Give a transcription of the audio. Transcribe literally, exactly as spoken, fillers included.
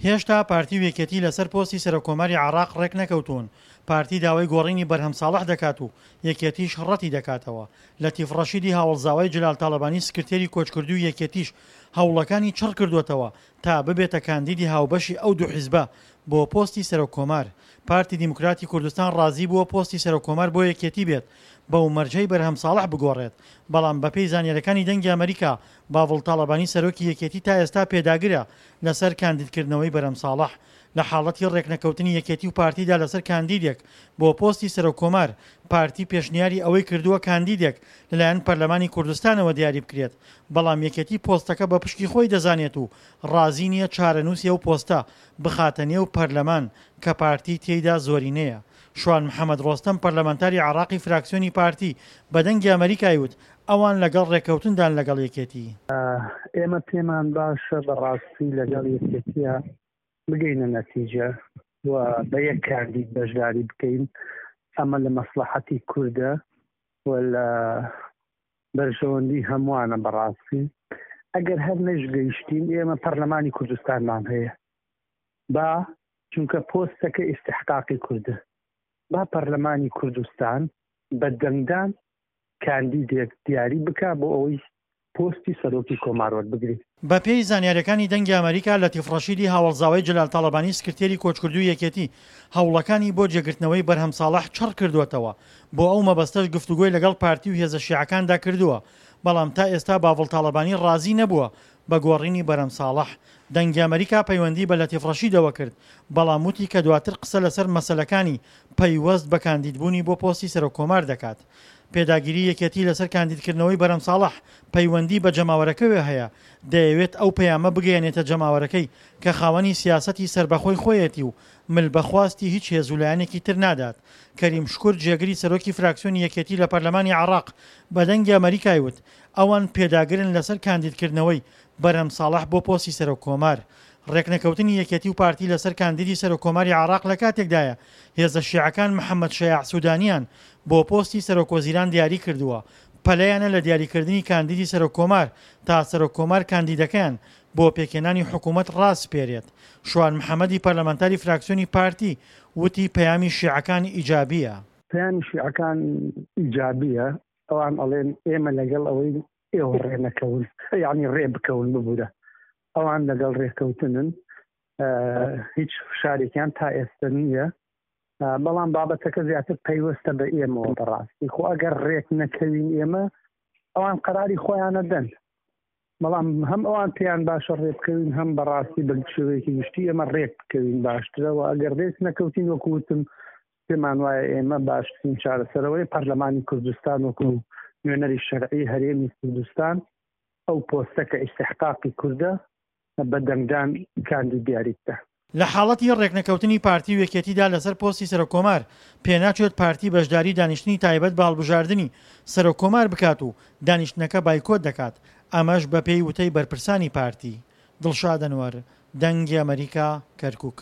هێشتا پارتی و یەکێتی لەسەر پۆستی سەرۆککۆماری عێراق ڕێکنەکەوتوون، پارتی داوای گۆڕینی بەرهەم ساڵح دەکات و یەکێتیش ڕەتی دەکاتەوە. لەتیف ڕەشیدی هاوەڵزاوای جەلال تاڵەبانی سکرتێری کۆچکردووی یەکێتیش هەوڵەکانی چڕکردووەتەوە تا ببێتە کاندیدی هاوبەشی ئەو دوو حیزبە بۆ پۆستی سەرۆککۆمار. پارتی دیموکراتی کوردستان ڕازی بووە پۆستی سەرۆککۆمار بۆ یەکێتی بێت بەو مەرجەی بەرهەم ساڵح بگۆڕێت، بەڵام بەپێی زانیاریەکانی دەنگی ئەمەریکا باڤڵ تاڵەبانی سەرۆکی یەکێتی تا ئێستا پێداگرە لەسەر کاندیدکردنەوەی بەرهەم ساڵح. لە حاڵەتی ڕێکنەکەوتنی یەکێتی و پارتیدا لەسەر کاندیدێک بۆ پۆستی سەرۆککۆمار، پارتی پێشنیاری ئەوەی کردووە کاندیدێک لەلایەن پەرلەمانی کوردستانەوە دیاری بکرێت، بەڵام یەکێتی پۆستەکە بە پشکی خۆی دەزانێت و ڕازی نییە چارەنووسی ئەو پۆستە بخاتە نێو پەرلەمان کە پارتی تێیدا زۆرینەیە. شوان محەمەد ڕۆستەم پەرلەمانتاری عێراقی فراکسیۆنی پارتی بە دەنگی ئەمەریکای وت ئەوان لەگەڵ ڕێککەوتندان لەگەڵ یەکێتی. ئێمە پێمان باشە بەڕاستی لەگەڵ یەکێتیە بگەینە نەتیجە و بە یەک کاندید بەشداری بکەین. ئەمە لە مەسلحەتی کوردە و لە بەرژەوەندی هەمووانە بەڕاستی. ئەگەر هەر نەشگەیشتین ئێمە پەرلەمانی کوردستانمان هەیە، با چونکە پۆستەکە ئیستحقاقی کوردە، با پەرلەمانی کوردستان بە دەنگدان کاندیدێک دیاری بکا بۆ ئەوەی پۆستی سەرۆکی کۆمار وەربگرێت. بەپێی زانیاریەکانی دەنگی ئەمەریکا، لەتیف ڕەشیدی هاوەڵزاوای جەلال تاڵەبانی سکرتێری کۆچکردووی یەکێتی هەوڵەکانی بۆ جێگرتنەوەی بەرهەم ساڵح چڕ کردووەتەوە، بۆ ئەو مەبەستەش گفتوگۆی لەگەڵ پارتی و هێزە شیعەکاندا کردووە، بەڵام تا ئێستا باڤڵ تاڵەبانی ڕازی نەبووە بە گۆڕینی بەرهەم ساڵح. دەنگی ئەمەریکا پەیوەندی بە لەتیف ڕەشیدەوە کرد، بەڵام وتی کە دواتر قسە لەسەر مەسەلەکانی پەیوەست بە کاندیدبوونی بۆ پۆستی سەرۆککۆمار دەکات. پێداگیری یەکێتی لەسەر کاندیدکردنەوەی بەرهەم ساڵح پەیوەندی بە جەماوەرەکەوە هەیە، دەیەوێت ئەو پەیامە بگەیەنێتە جەماوەرەکەی کە خاوەنی سیاسەتی سەربەخۆی خۆیەتی و مل بە خواستی هیچ هێز و لایەنێکی تر نادات. کەریم شکور جێگری سەرۆکی فراکسیۆنی یەکێتی لە پەرلەمانی عێراق بە دەنگی ئەمەریکای وت ئەوان پێداگرن لەسەر کاندیدکردنەوەی بەرهەم ساڵح بۆ پۆستی سەرۆک کۆمار. ڕێکنەکەوتنی یەکێتی و پارتی لەسەر کاندیدی سەرۆک کۆماری عێراق لە کاتێکدایە هێزە شیعەکان محەممەد شەیاع سودانیان بۆ پۆستی سەرۆک وەزیران دیاری کردووە، پەلەیانە لە دیاریکردنی کاندیدی سەرۆک کۆمار تا سەرۆک کۆمار کاندیدەکەیان بۆ پێکهێنانی حکوومەت ڕاسپێرێت. شوان محەممەدی پەرلەمانتاری فراکسیۆنی پارتی وتی پەیامی شیعەکان ئیجابیە. پەیامی شیعەکان ئیجابیە، ئەوان ئەڵێن ئێمە لەگەڵ ئەوەی ئێوە ڕێ نەکەون، یعنی ڕێ بکەون ببوورە، ئەوان لەگەڵ ڕێککەوتنن، هیچ فشارێکیان تا ئێستا نییە، بەڵام بابەتەکە زیاتر پەیوەستە بە ئێمەوە بەڕاستی. خۆ ئەگەر ڕێک نەکەوین ئێمە ئەوان قەراری خۆیانە دەن، بەڵام هەم ئەوان پێیان باشە ڕێ بکەوین، هەم بەڕاستی بە شێوەیەکی گشتی ئێمە ڕێک بکەوین باشترەوە. ئەگەر ڕێک نەکەوتین وەکو وتم پێمان وایە ئێمە باشترین چارەسەرەوەی پەرلەمانی کوردستان وەکو نوێنەری شەرعی هەرێمی کوردستان ئەو پۆستە کە ئیستحقاقی کوردە بە دەنگدان کاندید دیاری بکە. لە حاڵەتی ڕێکنەکەوتنی پارتی و یەکێتیدا لەسەر پۆستی سەرۆککۆمار، پێناچێت پارتی بەشداری دانیشتنی تایبەت بە هەڵبژاردنی سەرۆککۆمار بکات و دانیشتنەکە بایکۆت دەکات، ئەمەش بەپێی وتەی بەرپرسانی پارتی. دڵشاد ئەنوەر، دەنگی ئەمەریکا، کەرکوک.